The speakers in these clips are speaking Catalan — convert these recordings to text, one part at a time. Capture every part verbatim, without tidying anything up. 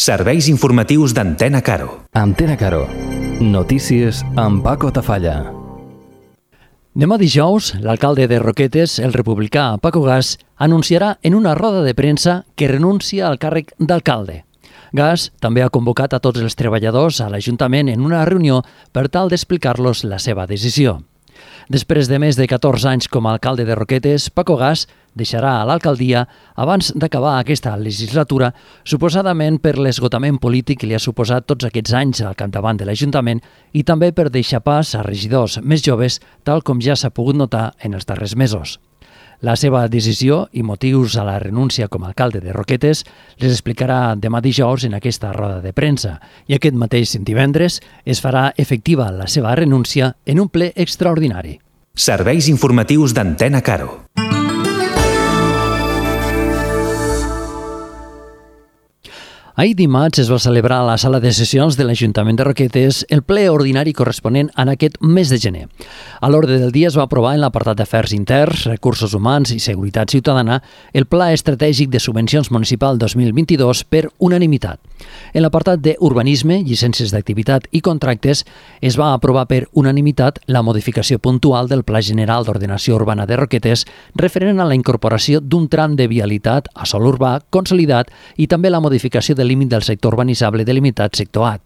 Serveis informatius d'Antena Caro. Antena Caro. Notícies amb Paco Tafalla. Demà dijous, l'alcalde de Roquetes, el republicà Paco Gas, anunciarà en una roda de premsa que renuncia al càrrec d'alcalde. Gas també ha convocat a tots els treballadors a l'Ajuntament en una reunió per tal d'explicar-los la seva decisió. Després de més de catorze anys com a alcalde de Roquetes, Paco Gas deixarà a l'alcaldia abans d'acabar aquesta legislatura, suposadament per l'esgotament polític que li ha suposat tots aquests anys al capdavant de l'Ajuntament i també per deixar pas a regidors més joves, tal com ja s'ha pogut notar en els darrers mesos. La seva decisió i motius a la renúncia com a alcalde de Roquetes les explicarà demà dijous en aquesta roda de premsa i aquest mateix divendres es farà efectiva la seva renúncia en un ple extraordinari. Serveis informatius d'Antena Caro. Ahir dimarts es va celebrar a la sala de sessions de l'Ajuntament de Roquetes el ple ordinari corresponent en aquest mes de gener. A l'ordre del dia es va aprovar en l'apartat d'Afers Interns, Recursos Humans i Seguretat Ciutadana el Pla Estratègic de Subvencions Municipal dos mil vint-i-dos per unanimitat. En l'apartat d'Urbanisme, Llicències d'Activitat i Contractes es va aprovar per unanimitat la modificació puntual del Pla General d'Ordenació Urbana de Roquetes referent a la incorporació d'un tram de vialitat a sòl urbà consolidat i també la modificació de límit del sector urbanitzable delimitat sector A.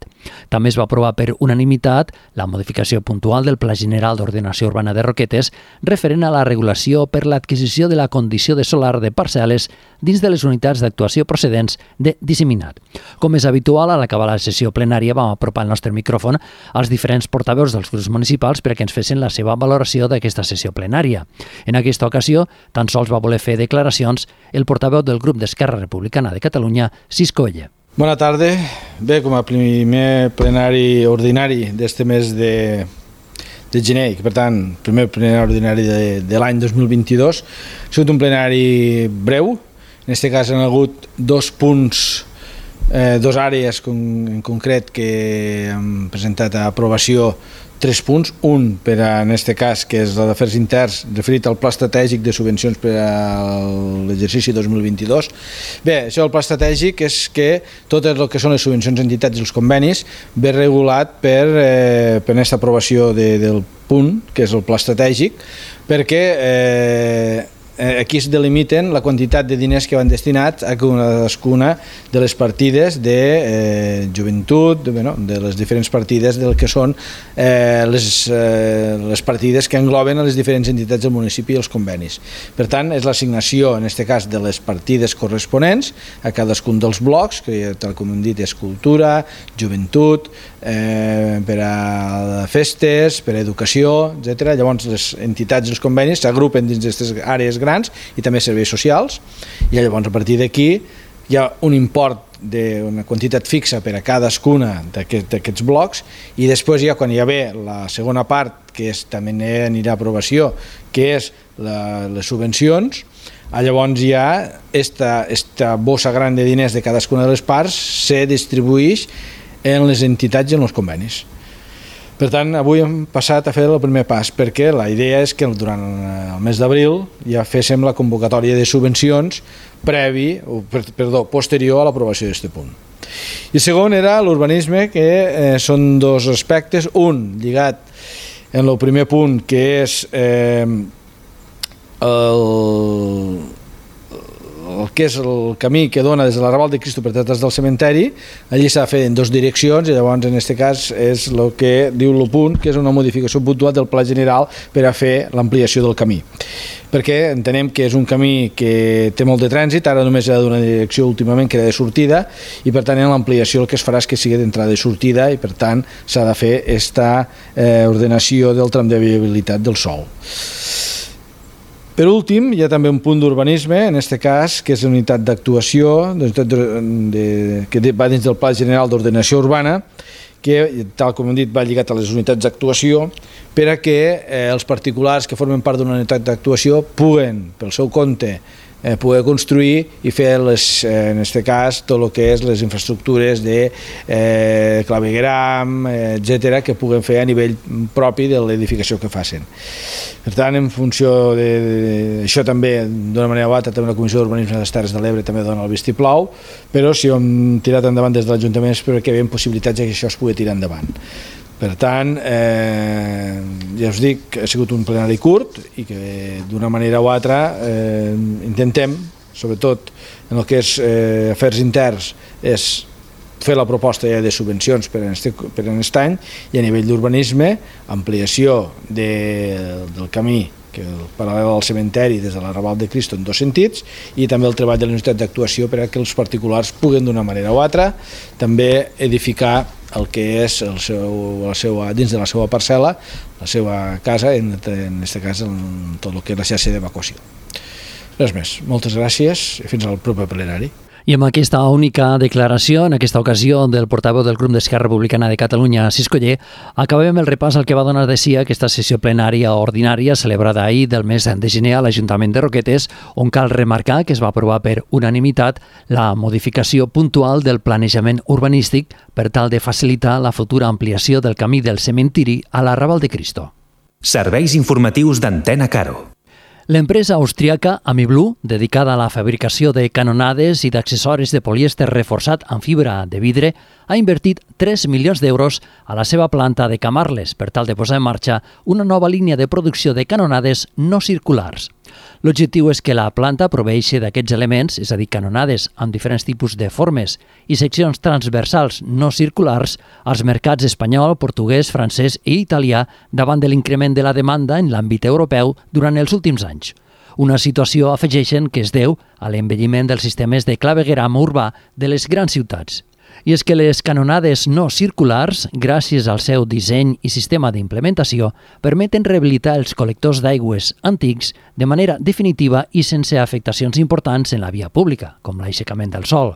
També es va aprovar per unanimitat la modificació puntual del Pla General d'Ordenació Urbana de Roquetes referent a la regulació per l'adquisició de la condició de solar de parcel·les dins de les unitats d'actuació procedents de disseminat. Com és habitual, a l'acabar la sessió plenària vam apropar el nostre micròfon als diferents portaveus dels grups municipals perquè ens fessin la seva valoració d'aquesta sessió plenària. En aquesta ocasió, tan sols va voler fer declaracions el portaveu del grup d'Esquerra Republicana de Catalunya, Cisco Oller. Bona tarda. Bé, com a primer plenari ordinari d'este mes de, de gener, que per tant, primer plenari ordinari de, de l'any dos mil vint-i-dos, ha sigut un plenari breu. En aquest cas han hagut dos punts, eh, dos àrees con, en concret que hem presentat a aprovació tres punts. Un, per a, en aquest cas, que és el d'Afers Interns, referit al Pla Estratègic de Subvencions per a l'exercici dos mil vint-i-dos. Bé, això del Pla Estratègic és que tot el que són les subvencions, entitats i els convenis ve regulat per, eh, per aquesta aprovació de, del punt, que és el Pla Estratègic, perquè eh, aquí es delimiten la quantitat de diners que van destinats a cadascuna de les partides de eh, joventut, de, bueno, de les diferents partides del que són eh, les, eh, les partides que engloben a les diferents entitats del municipi i els convenis. Per tant, és l'assignació, en aquest cas, de les partides corresponents a cadascun dels blocs, que tal com hem dit és cultura, joventut, eh, per a festes, per a educació, etcètera. Llavors, les entitats i els convenis s'agrupen dins d'aquestes àrees grans i també serveis socials, i llavors a partir d'aquí hi ha un import d'una quantitat fixa per a cadascuna d'aquests blocs, i després ja quan hi ha bé la segona part, que és, també anirà a aprovació, que és la, les subvencions, llavors ja esta, esta bossa gran de diners de cadascuna de les parts se distribueix en les entitats i en els convenis. Per tant, avui hem passat a fer el primer pas, perquè la idea és que durant el mes d'abril ja féssim la convocatòria de subvencions previ, o, perdó, posterior a l'aprovació d'aquest punt. I el segon era l'urbanisme, que eh, són dos aspectes. Un, lligat en el primer punt, que és eh, el... el que és el camí que dona des de l'Arrabal de Cristo per detrás del cementeri. Allí s'ha de fer en dues direccions, i llavors en aquest cas és el que diu el punt, que és una modificació puntual del Pla General per a fer l'ampliació del camí, perquè entenem que és un camí que té molt de trànsit. Ara només ha d'una direcció últimament, que era de sortida, i per tant en l'ampliació el que es farà és que sigui d'entrada i sortida, i per tant s'ha de fer aquesta eh, ordenació del tram de viabilitat del sòl. Per últim, hi ha també un punt d'urbanisme, en aquest cas, que és la unitat d'actuació que va dins del Pla General d'Ordenació Urbana, que, tal com hem dit, va lligat a les unitats d'actuació, per a que eh, els particulars que formen part d'una unitat d'actuació puguen, pel seu compte, eh, poder construir i fer, les, eh, en aquest cas, tot el que és les infraestructures de eh, clavegueram, eh, etcètera, que puguen fer a nivell propi de l'edificació que facin. Per tant, en funció d'això també, d'una manera o altra, també la Comissió d'Urbanisme de les Terres de l'Ebre també dona el vistiplau, però si ho hem tirat endavant des de l'Ajuntament és perquè hi havia possibilitats que això es pugui tirar endavant. Per tant, eh, ja us dic que ha sigut un plenari curt i que d'una manera o altra eh, intentem, sobretot en el que és eh, afers interns, és fer la proposta ja de subvencions per a aquest any i a nivell d'urbanisme, ampliació de, del camí que el paral·lel al cementeri des de l'arrabal de Cristo en dos sentits i també el treball de les unitats d'actuació per a que els particulars puguen d'una manera o altra també edificar el que és el seu, la seva, dins de la seva parcel·la, la seva casa, en, en aquest cas en tot el que és la xarxa d'evacuació. Res més. Moltes gràcies i fins al proper plenari. I amb aquesta única declaració, en aquesta ocasió, del portaveu del grup d'Esquerra Republicana de Catalunya, Cis Coller, acabem el repàs al que va donar de si aquesta sessió plenària ordinària celebrada ahir del mes de gener a l'Ajuntament de Roquetes, on cal remarcar que es va aprovar per unanimitat la modificació puntual del planejament urbanístic per tal de facilitar la futura ampliació del camí del cementiri a l'arrabal de Cristo. Serveis informatius d'Antena Caro. L'empresa austríaca AmiBlue, dedicada a la fabricació de canonades i d'accessoris de polièster reforçat amb fibra de vidre, ha invertit tres milions d'euros a la seva planta de Camarles per tal de posar en marxa una nova línia de producció de canonades no circulars. L'objectiu és que la planta proveeixi d'aquests elements, és a dir, canonades amb diferents tipus de formes i seccions transversals no circulars, als mercats espanyol, portuguès, francès i italià davant de l'increment de la demanda en l'àmbit europeu durant els últims anys. Una situació, afegeixen, que es deu a l'envelliment dels sistemes de clavegueram urbà de les grans ciutats. I és que les canonades no circulars, gràcies al seu disseny i sistema d'implementació, permeten rehabilitar els col·lectors d'aigües antics de manera definitiva i sense afectacions importants en la via pública, com l'aixecament del sòl.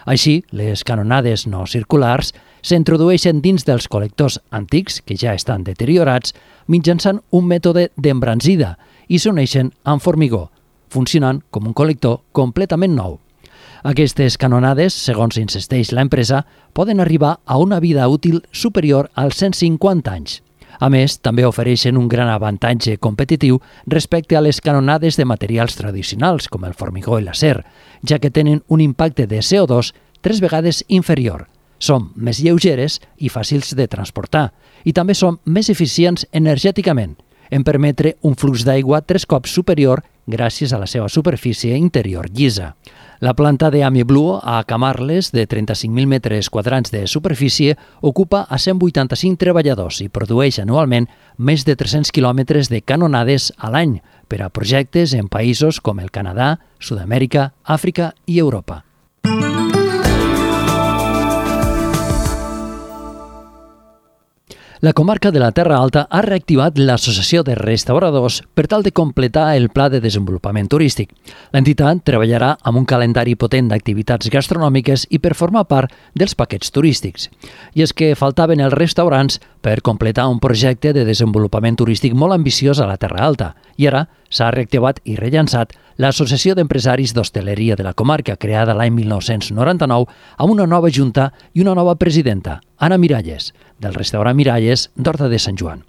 Així, les canonades no circulars s'introdueixen dins dels col·lectors antics, que ja estan deteriorats, mitjançant un mètode d'embranzida i s'uneixen amb formigó, funcionant com un col·lector completament nou. Aquestes canonades, segons insisteix l'empresa, poden arribar a una vida útil superior als cent cinquanta anys. A més, també ofereixen un gran avantatge competitiu respecte a les canonades de materials tradicionals, com el formigó i l'acer, ja que tenen un impacte de C O dos tres vegades inferior. Són més lleugeres i fàcils de transportar, i també són més eficients energèticament, en permetre un flux d'aigua tres cops superior gràcies a la seva superfície interior llisa. La planta de AmiBlue a Camarles, de trenta-cinc mil metres quadrats de superfície, ocupa a cent vuitanta-cinc treballadors i produeix anualment més de tres-cents quilòmetres de canonades a l'any per a projectes en països com el Canadà, Sud-amèrica, Àfrica i Europa. La comarca de la Terra Alta ha reactivat l'Associació de Restauradors per tal de completar el Pla de Desenvolupament Turístic. L'entitat treballarà amb un calendari potent d'activitats gastronòmiques i per formar part dels paquets turístics. I és que faltaven els restaurants per completar un projecte de desenvolupament turístic molt ambiciós a la Terra Alta. I ara s'ha reactivat i rellançat l'Associació d'Empresaris d'Hostaleria de la comarca, creada l'any mil nou-cents noranta-nou, amb una nova junta i una nova presidenta, Anna Miralles, del restaurant Miralles d'Horta de Sant Joan.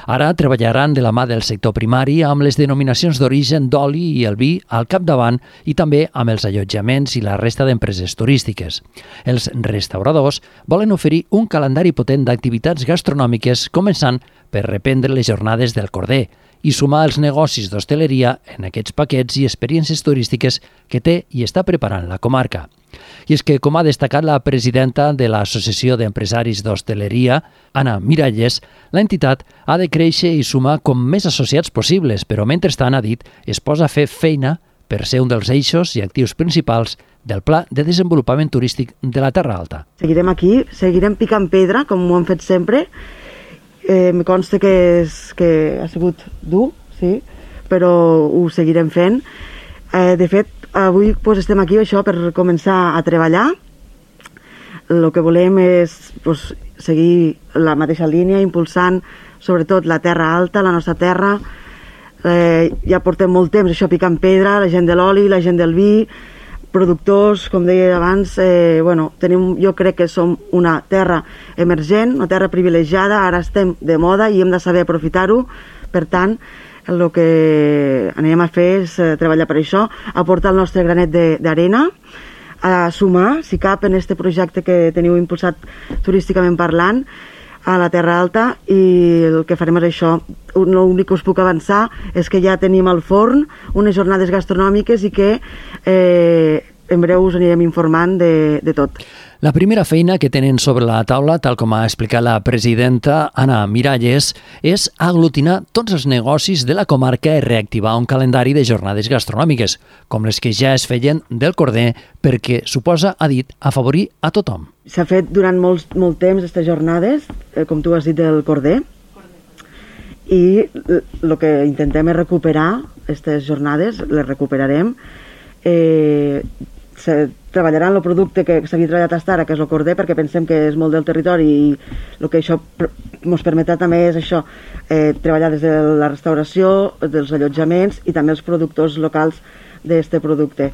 Ara treballaran de la mà del sector primari amb les denominacions d'origen d'oli i el vi al capdavant i també amb els allotjaments i la resta d'empreses turístiques. Els restauradors volen oferir un calendari potent d'activitats gastronòmiques, començant per reprendre les jornades del Corder i sumar els negocis d'hostaleria en aquests paquets i experiències turístiques que té i està preparant la comarca. I és que, com ha destacat la presidenta de l'Associació d'Empresaris d'Hostaleria, Anna Miralles, l'entitat ha de créixer i sumar com més associats possibles, però mentrestant, ha dit, es posa a fer feina per ser un dels eixos i actius principals del Pla de Desenvolupament Turístic de la Terra Alta. Seguirem aquí, seguirem picant pedra, com ho hem fet sempre. Eh, me consta que, és, que ha sigut dur, sí, però ho seguirem fent. Eh, de fet, avui pues, estem aquí això per començar a treballar. El que volem és pues, seguir la mateixa línia, impulsant sobretot la Terra Alta, la nostra terra, Eh, ja portem molt temps això picant pedra, la gent de l'oli, la gent del vi, productors, com deia abans, eh, bueno, tenim, jo crec que som una terra emergent, una terra privilegiada, ara estem de moda i hem de saber aprofitar-ho, per tant, el que anem a fer és eh, treballar per això, aportar el nostre granet d'arena, a sumar, si cap, en aquest projecte que teniu impulsat turísticament parlant, a la Terra Alta, i el que farem és això. L'únic que us puc avançar és que ja tenim al forn unes jornades gastronòmiques i que eh, en breu us anirem informant de, de tot. La primera feina que tenen sobre la taula, tal com ha explicat la presidenta Anna Miralles, és aglutinar tots els negocis de la comarca i reactivar un calendari de jornades gastronòmiques, com les que ja es feien del Corder, perquè suposa, ha dit, afavorir a tothom. S'ha fet durant molt, molt temps aquestes jornades, eh, com tu has dit, del Corder, i el que intentem és recuperar aquestes jornades, les recuperarem, eh, se treballarà en el producte que s'havia treballat fins ara, que és el Corder, perquè pensem que és molt del territori i el que això ens permetrà també és això, eh, treballar des de la restauració, dels allotjaments i també els productors locals d'aquest producte.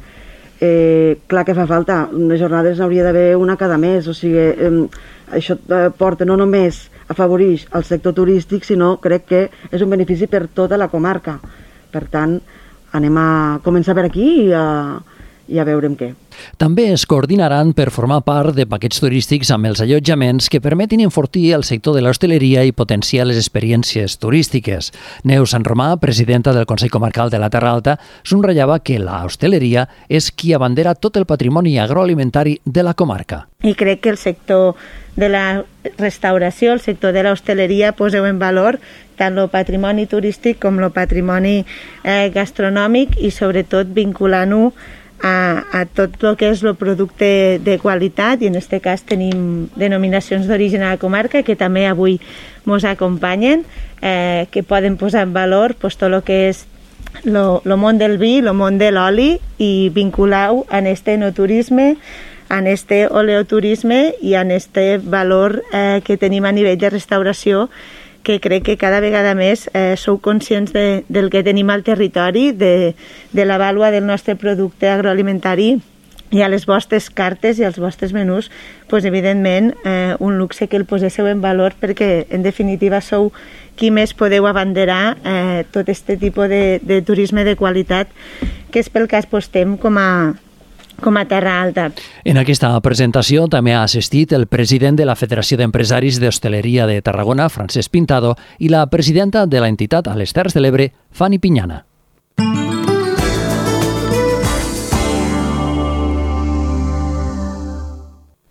Eh, clar que fa falta, unes jornades n'hauria d'haver una cada mes, o sigui, eh, això porta no només afavoreix el sector turístic, sinó crec que és un benefici per tota la comarca. Per tant, anem a començar per aquí i a i a veurem què. També es coordinaran per formar part de paquets turístics amb els allotjaments que permetin enfortir el sector de l'hostaleria i potenciar les experiències turístiques. Neus Sant Romà, presidenta del Consell Comarcal de la Terra Alta, subratllava que la hostaleria és qui abandera tot el patrimoni agroalimentari de la comarca. I crec que el sector de la restauració, el sector de l'hostaleria, poseu en valor tant el patrimoni turístic com el patrimoni eh, gastronòmic i sobretot vinculant-ho A, a tot el que és el producte de qualitat, i en aquest cas tenim denominacions d'origen a la comarca que també avui ens acompanyen, eh, que poden posar en valor pues, tot el que és el món del vi, el món de l'oli, i vincular-ho en este enoturisme, en este oleoturisme i en este valor eh, que tenim a nivell de restauració, que crec que cada vegada més eh, sou conscients de, del que tenim al territori, de, de la vàlua del nostre producte agroalimentari, i a les vostres cartes i als vostres menús, pues, evidentment, eh, un luxe que el poséssiu en valor, perquè en definitiva sou qui més podeu abanderar eh, tot aquest tipus de, de turisme de qualitat, que és pel que apostem com a com a Terra Alta. En aquesta presentació també ha assistit el president de la Federació d'Empresaris d'Hostaleria de Tarragona, Francesc Pintado, i la presidenta de l'entitat a les Terres de l'Ebre, Fanny Piñana.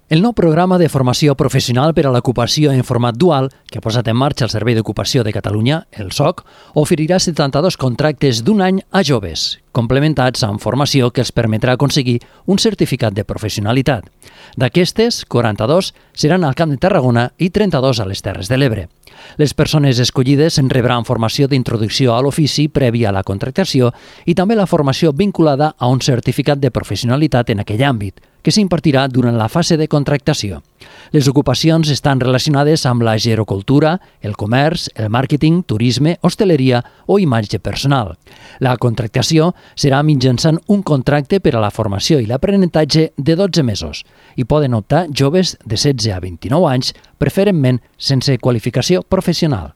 El nou programa de formació professional per a l'ocupació en format dual que ha posat en marxa el Servei d'Ocupació de Catalunya, el S O C, oferirà setanta-dos contractes d'un any a joves, complementats amb formació que els permetrà aconseguir un certificat de professionalitat. D'aquestes, quaranta-dos seran al Camp de Tarragona i trenta-dos a les Terres de l'Ebre. Les persones escollides en rebran formació d'introducció a l'ofici prèvia a la contractació i també la formació vinculada a un certificat de professionalitat en aquell àmbit, que s'impartirà durant la fase de contractació. Les ocupacions estan relacionades amb la gerocultura, el comerç, el màrqueting, turisme, hostaleria o imatge personal. La contractació serà mitjançant un contracte per a la formació i l'aprenentatge de dotze mesos i poden optar joves de setze a vint-i-nou anys, preferentment sense qualificació professional.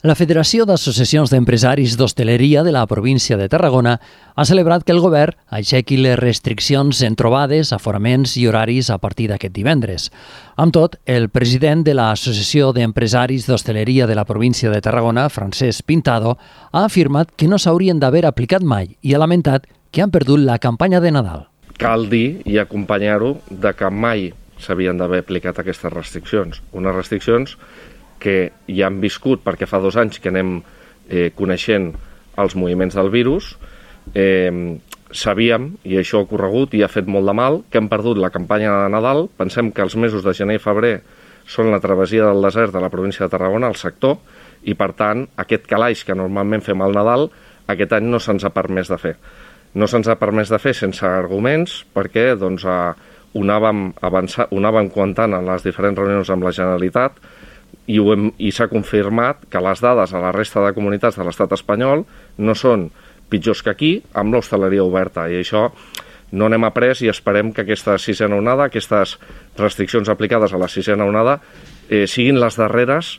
La Federació d'Associacions d'Empresaris d'Hostaleria de la província de Tarragona ha celebrat que el govern aixequi les restriccions en trobades, aforaments i horaris a partir d'aquest divendres. Amb tot, el president de l'Associació d'Empresaris d'Hostaleria de la província de Tarragona, Francesc Pintado, ha afirmat que no s'haurien d'haver aplicat mai i ha lamentat que han perdut la campanya de Nadal. Cal dir i acompanyar-ho de que mai s'havien d'haver aplicat aquestes restriccions. Unes restriccions que ja han viscut, perquè fa dos anys que anem eh, coneixent els moviments del virus, eh, sabíem, i això ha ocorregut i ha fet molt de mal, que hem perdut la campanya de Nadal. Pensem que els mesos de gener i febrer són la travessia del desert de la província de Tarragona, el sector, i per tant aquest calaix que normalment fem al Nadal, aquest any no se'ns ha permès de fer. No se'ns ha permès de fer sense arguments, perquè doncs, ho anàvem avançant, ho anàvem comentant en les diferents reunions amb la Generalitat, i, ho hem, i s'ha confirmat que les dades a la resta de comunitats de l'estat espanyol no són pitjors que aquí amb l'hostaleria oberta, i això no n'hem après i esperem que aquesta sisena onada, aquestes restriccions aplicades a la sisena onada, eh, siguin les darreres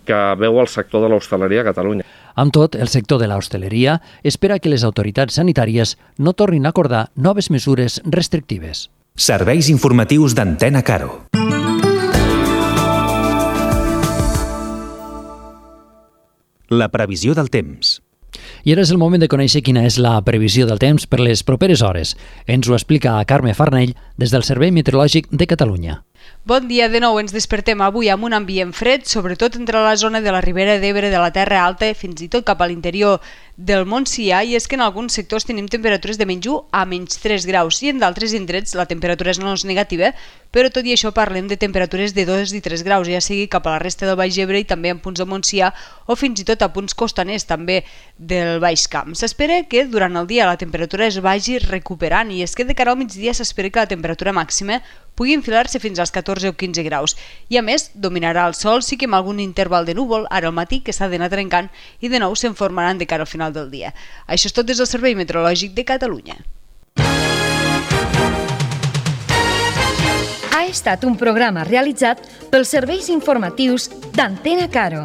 que veu el sector de l'hostaleria a Catalunya. Amb tot, el sector de l'hostaleria espera que les autoritats sanitàries no tornin a acordar noves mesures restrictives. Serveis informatius d'Antena Caro. La previsió del temps. I ara és el moment de conèixer quina és la previsió del temps per les properes hores. Ens ho explica Carme Farnell des del Servei Meteorològic de Catalunya. Bon dia, de nou ens despertem avui amb un ambient fred, sobretot entre la zona de la Ribera d'Ebre, de la Terra Alta, fins i tot cap a l'interior del Montsià, i és que en alguns sectors tenim temperatures de menys u a menys tres graus, i en d'altres indrets la temperatura no és negativa, però tot i això parlem de temperatures de dos i tres graus, ja sigui cap a la resta del Baix Ebre i també en punts del Montsià o fins i tot a punts costaners també del Baix Camp. S'espera que durant el dia la temperatura es vagi recuperant, i és que de cara al migdia s'espera que la temperatura màxima pugui enfilar-se fins als catorze o quinze graus. I a més, dominarà el sol, sí que amb algun interval de núvol, ara al matí, que s'ha d'anar trencant, i de nou se'n formaran de cara al final del dia. Això és tot des del Servei Meteorològic de Catalunya. Ha estat un programa realitzat pels serveis informatius d'Antena Caro.